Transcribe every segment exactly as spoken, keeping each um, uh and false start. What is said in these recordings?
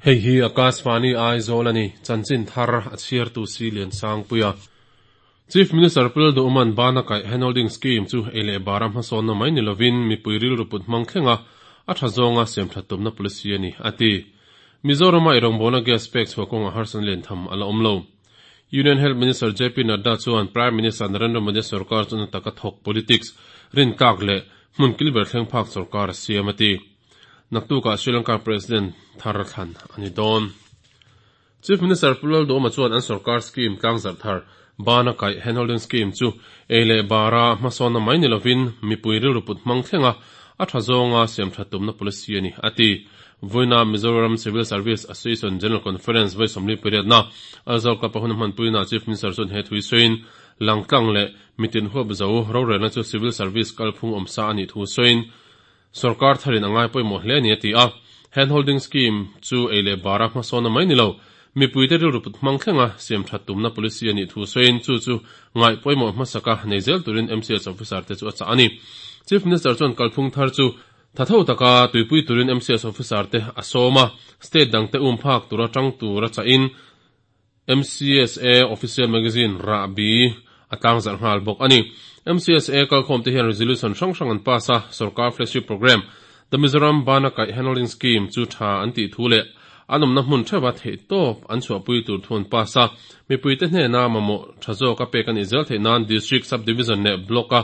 Hei hi Akashvani Aizawl ani chanchin thar a chhiartu si lian sangpuia Chief Minister Pul Duman bana kai handholding scheme chu ele baram hason na mai nilovin mipui ril ruput mangthlenga a tha zonga sem thatum na policy ani ati Mizorama irong bona gas pek chhuakonga harsan len tham ala omlo Union Health Minister J P Nadda chuan Prime Minister Narendra Modi sarkar chuna taka thok politics rin kak le hmun kilber thleng phak sarkar siamati naktuka Sri Lanka President Thar Khan ani don Chief Minister Pulal Doma chuan an sarkar scheme tlangzar thar bana kai handholding scheme chu ele bara hmasawn na mai nilovin mipui rilruput hmang thlenga a tha zawnga siam thatum na policy ani ati voina Mizoram Civil Service Association General Conference voi somli period na Aizawl ka pahun hmanpui na Chief Minister chuan he thui soin langtlang le mitin huap zo rorelna chu Civil Service kalphung awmsa ani thu soin sarkar tharin angai pawimawh hle ani ati a handholding scheme chu eile bara hmasawn na mai nilo mipui te rilruput hmang thlenga siam thatum na policy ani thu soin chu chu ngai pawimawh hmasaka nei zel turin M C S officer te chu a chah ani Chief Minister chuan kalphung thar chu thatho taka tuipui turin M C S officer te a sawma state dang te um phak tura tang tura cha in M C S A official magazine Rabi atang zar ngal bawk ani M C S A kalkhawm te hian resolution hrang hrang an pass a sarkar flagship program the Mizoram Bana Kai Handholding Scheme chu tha an ti thu le anom na hmun thewa thei top an chhuahpui tur thun pass a mipui te hne na mamawh tha zawk a pek ani zel theih nan district subdivision leh block a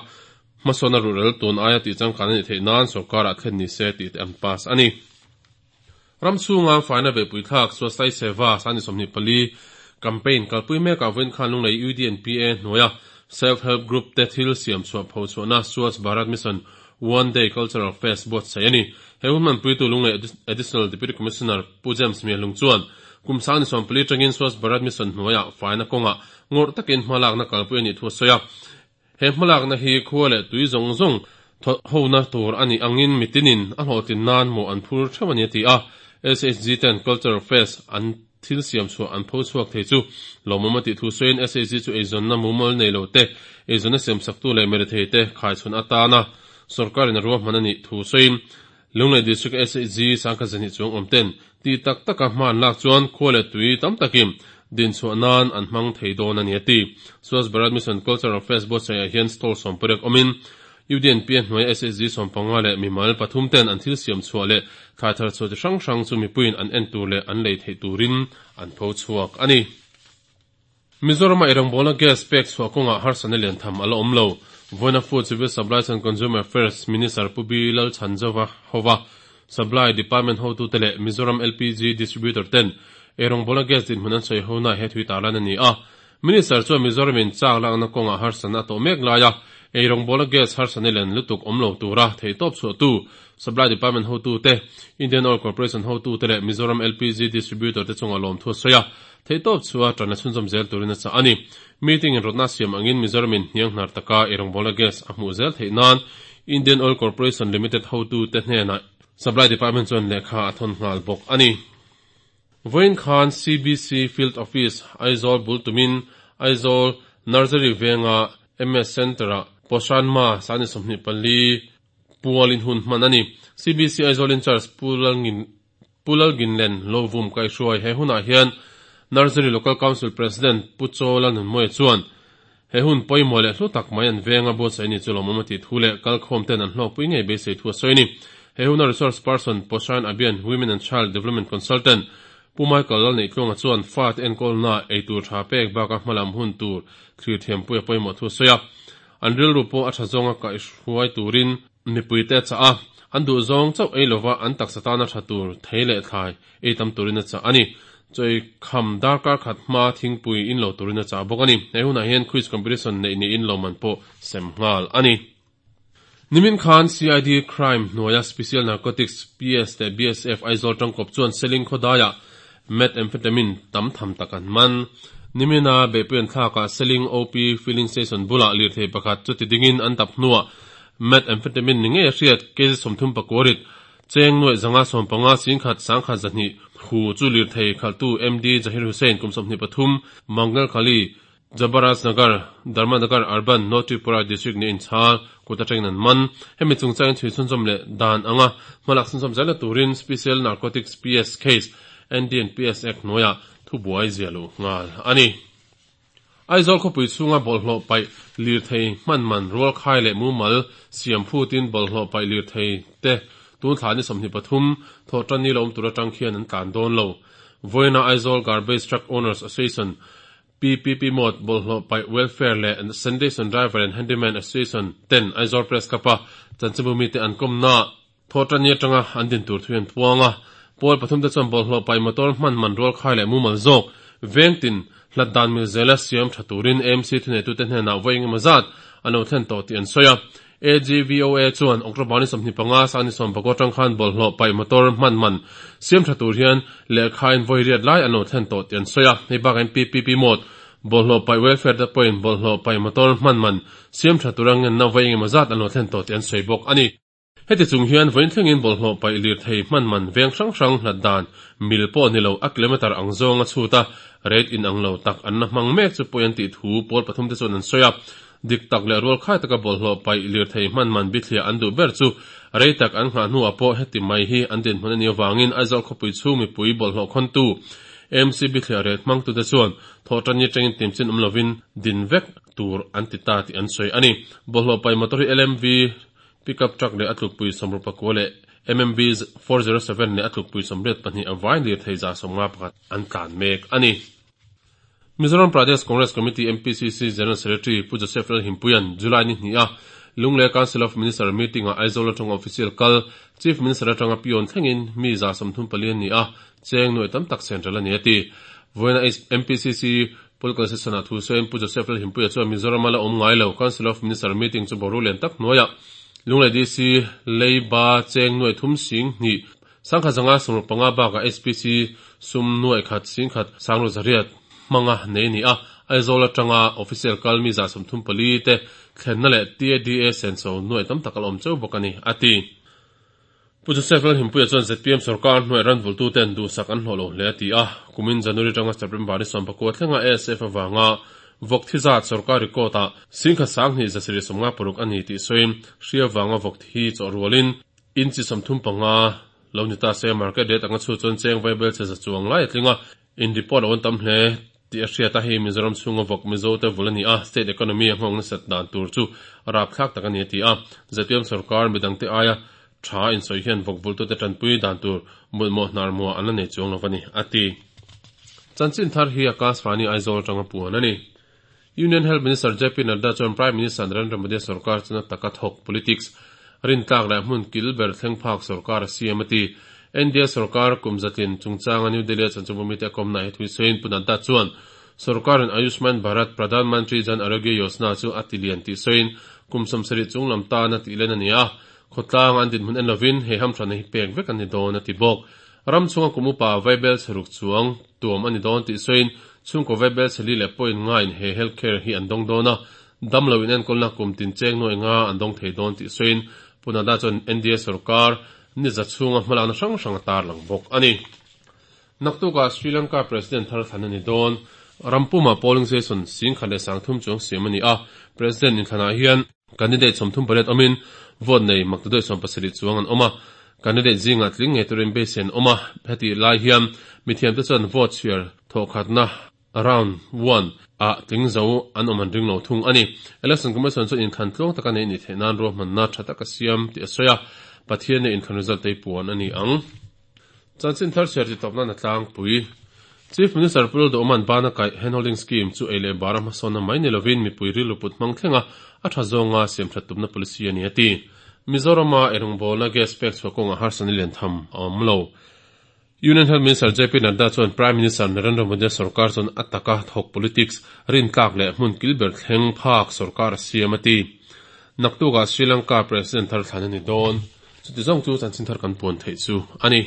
hmasawna rural tun aia tih changkan ani theih nan sarkar ah thlen ni se tih te an pass ani ramchhunga faina beihpui thlak Swasthai Seva sani sawmhnih pali campaign kalpui mekah vawiin khan lunglei U D N P A hnuaia self help group te thil siam chhuah pho chhuahna Swachh Bharat Mission One Day Cultural Fest buat sai ani he hun hmanpuitu lunglei Additional Deputy Commissioner Pu James Mialung chuan kum sangni sawmpali tangin Swachh Bharat Mission hnuaia faina kawnga ngawrh takin hmalakna kalpui ani thu a sawi a he hmalakna hi khua leh tui zawng zawng hona tur ani angin mitinin a hlawhtlin nan maw an phur theuh ani ati a S H G ten Cultural Fest an thil siam chhuah an pho chhuak thei chu lawmawm a tih thu sawiin S H G chu eizawnna mumal nei lo te eizawnna siam saktu leh merethei te khaichhun atana sarkarin a ruahman ani thu sawiin Lunglei District S H G sangkhat zahnih chuang awm ten ti tak taka hman lak chuan khua leh tui tam takin din chhuah nan an hmang thei dawn ani ati Swachh Bharat Mission Cultural Fest buatsaih ah hian stall sawm pariat awmin U D N P a hnuai S H G sawm panga leh mimal pathum ten an thil siam chhuah leh thlai thar chhuah chi hrang hrang chu mipuiin an en tur leh an lei theih turin an pho chhuak ani Mizorama irangbawlna gas pek chhuah kawngah harsatna lian tham ala awm lo Voina Food Civil Supplies and Consumer Affairs Minister Pu B Lal Chhanzova hova Supply Department hotu te leh Mizoram L P G Distributor ten irangbawlna gas dinhmun an sawi hona he thui tarlan ani a Minister chuan Mizoramin chak lakna kawngah harsatna a tawh mek laia eirangbawlna gas harsatna lian lutuk awm lo tura thei tawp chhuah tu Supply Department hotu te Indian Oil Corporation hotu te leh Mizoram L P G Distributor te chunga lawm thu a sawi a thei tawp chhuah tana chhunzawm zel turin a chah ani meeting in rawtna siam angin Mizoramin hniang hnar taka eirangbawlna gas a hmuh zel theih nan Indian Oil Corporation Limited hotu te hnenah Supply Department chuan lehkha a thawn nghal bawk ani Vawiin khan C B C Field Office Aizawl bultumin Aizawl Nursery venga M S Center-ah Poshan Ma sani sawmhnih pali pualin hun hman ani C B C Aizawl in charge Pulalgin Pulalginlen Lovum kaihruai he hunah hian Nursery Local Council President Pu Chola Nunmawia chuan he hun pawimawh leh hlu tak mai an venga buatsaih ni chu lawmawm a tih thu leh kalkhawm ten an hlawkpui ngei beisei thu a sawi ni he huna resource person Poshan Abhiyan Women and Child Development Consultant Pu Michael Lal nei tluanga chuan fa te enkawlna eitur tha pek baka hmalam hun tur thlir thiampui a pawimawh thu a sawi a an rilru pawh a tha zawnga kaihruai turin mipui te a chah a an duh zawng chauh ei lova an taksa tana tha tur thei leh thlai ei tam turin a chah ani choi kham darkar khat hma thingpui in lo turin a chah bawk ani he hunah hian quiz competition nei niin lawman pawh sem nghal ani Nimin Khan C I D Crime hnuaia Special Narcotics P S leh B S F Aizawl tangkawp chuan Seling khawdaia methamphetamine tam tham tak an man Nimina beihpui an thlakah Seling O P Filling Station bulah lirthei pakhat chu ti dingin an tap hnuah methamphetamine ni ngei a hriat kg sawmthum pakuarit cheng nuaih zanga sawm panga singkhat sangkhat zahnih hu chu lirthei khaltu M D Zahir Hussain kum sawmhnih pathum Mangal Khali Jabaraj Nagar Dharmanagar Urban North Tripura District ni inchhal kut atangin an man hemi chungchangin thui chhunzawm leh dan anga hmalak chhunzawm zel na turin Special Narcotics P S case N D N P S Act hnuaiah thubuai ziah luh nghal a ni. Aizawl khawpui chhunga bawlhhlawh paih lirthei hman man rualkhai leh mumal siam phutin bawlhhlawh paih lirthei te tun thla ni sawmhnih pathum Thawhtanni lo awm tur atang khian an tlan dawn lo. Vawiina Aizawl Garbage Truck Owners Association, P P P Mode Bawlhhlawh Paih Welfare leh Sanitation Driver and Handyman Association ten Aizawl Press Club a chanchinbu mite an kawmna Thawhtanni atanga an din tur thu an puang a. Pawl pathum te chuan bawlhhlawh paih motor hman man rualkhai leh mumal zawk vengtin hlat dan mil zela siam tha turin A M C thuneitute hnenah vawi engemaw zat an lo thlen tawh tih an sawi a. A G V O A chuan October ni sawmhnih panga sang ni sawm pakua atang khan bawlhhlawh paih motor hman man siam tha tur hian lehkhain vawi riat lai an lo thlen tawh tih an sawi a. Hei bakah P P P Mode Bawlhhlawh paih welfare te pawhin bawlhhlawh paih motor hman man siam tha tura ngenna vawi engemaw zat an lo thlen tawh tih an sawi bawk a ni. Heti chung hian vawiin thlengin bawlhhlawh paih lirthei hman man veng hrang hrang hlat dan mil pawh ni lo, a kilometre ang zawng a chhut a rate in ang lo tak an la hmang mek chu pawi an tih thu pawl pathum te chuan an sawi a. Dik tak leh rualkhai taka bawlhhlawh paih lirthei hman man bithliah an duh ber chu rei tak an nghah hnuah pawh heti mai hi an dinhmun a nih avangin Aizawl khawpui chhung mipui bawlhhlawh khawntu A M C bithliah rate hmangtute chuan Thawhtanni atangin timchin awm lovin din vek tur an ti ta tih an sawi a ni. Bawlhhlawh paih motor hi L M V pickup truck leh a tlukpui sawmruk pakua leh M M V four zero seven leh a tlukpui sawmriat pahnih, a vai lirthei za sawmnga pakhat an tlan mek a ni. Mizoram Pradesh Congress Committee, M P C C General Secretary Pu Joseph Lalhimpuian July ni hnih a Lunglei Council of Minister meeting a Aizawl atanga official kal, Chief Minister atanga peon thlengin mi za sawmthum pali an ni a, cheng nuai tam tak central a ni a ti. Vawiina M P C C political session a thu sawiin Pu Joseph Lalhimpuia chuan Mizoram a la awm ngai lo Council of Minister meeting chu boru lian tak hnuaiah Lunglei D C leiba cheng nuai thum sing hnih sangkhat zanga sawmruk panga bakah S P C sum nuai khat sing khat sanglu zariat hmanga nei ni a. Aizawl atanga official kal mi za sawmthum pali te thlenna leh T A D A senso nuai tam tak a awm cheu bawk a ni a ti. Pu Joseph Lalhimpuia chuan Z P M sarkar hnuai ran vultu ten duhsak an hlawh lo hle a ti a. Kumin January atanga September ni sawm pakua thlenga A S F awanga vawk thi zat sarkar record a singkhat sanghnih zasarih sawmnga paruk a ni tih sawiin hri awanga vawk thi chaw rualin inchi sawmthum panga lo ni ta se market rate anga chu chuan cheng vaibel che za chuang lai a tlinga in report a on tam hle tih a hriat a. Hei Mizoram chhunga vawk Mizo te vul ani a, state economy a nghawng nasat dan tur chu rap thlak tak ani a ti a. Z P M sarkar midang te aia tha in sawi hian vawk vultu te tanpui dan tur mutmawh hnar mua an la nei chuang lo ani a ti. Chanchin thar hi Akashvani Aizawl atanga puan ani. Union Health Minister J P Nadda chuan Prime Minister Narendra Modi sarkar chuna taka thawk politics rin tlak leh hmun kil ber thleng phak sarkar a siam a ti. N D A sarkar kum zatlin chungchanga New Delhi chanchinbu mite komna he thui sawiin Pu Nadda chuan sarkarin Ayushman Bharat Pradhan Mantri Jan Arogya Yojana chu a tilian tih sawiin kum sawmsarih chung lam tan a tih len ani a, khawtlang an dinhmun en lovin he hamthran hi pek vek ani dawn a ti bawk. Ram chunga kum upa vaibel chheruk chuang tuam ani dawn tih sawiin chhungkaw vaibel chheli leh point nga in he healthcare hi an dawng dawn a, dam lo in enkawl kum tin cheng nuai nga an dawng thei dawn tih sawiin Pu Nadda chuan N D A sarkar ni za chhunga hmalakna hrang hrang a tar lang bawk ani. Naktuka Sri Lanka President thar thlan ani dawn. Rampuma polling station singkhat leh sangthum chuang siam ani a. President in thlanah hian candidate sawmthum pariat awmin vote nei maktaduai sawm pasarih chuang an awm a. Candidate zinga tling ngei turin beisei an awm a. Heti lai hian mithiam te chuan vote chhiar thawhkhatna round one a tling zo an awm an ring lo thung ani. Election Commission chuan inthlan tluang taka nei ni theih nan ruahmanna tha taka siam tih a sawi a. Pathian ne inthlan result te puan ani ang. Chanchin thar chhiar ti tawpna na tlangpui. Chief Minister Pu Lalduhoma'n bana kaih handholding scheme chu ei leh bara hmasawnna mai ni lovin mipui rilru put hmang thlenga a tha zawnga siam that tumna policy ani a ti. Mizorama erawngbawl gas pek chhuah kawnga harsatna lian tham a awm lo. Union Health Minister J P Nadda chuan Prime Minister Narendra Modi sarkar chuan a taka thawk politics rin tlak leh hmun kilber thleng phak sarkar a siam a ti. Naktuka Sri Lanka President thar thlan ani dawn. Chuti zawng chu chanchin thar kan puan theih chu ani.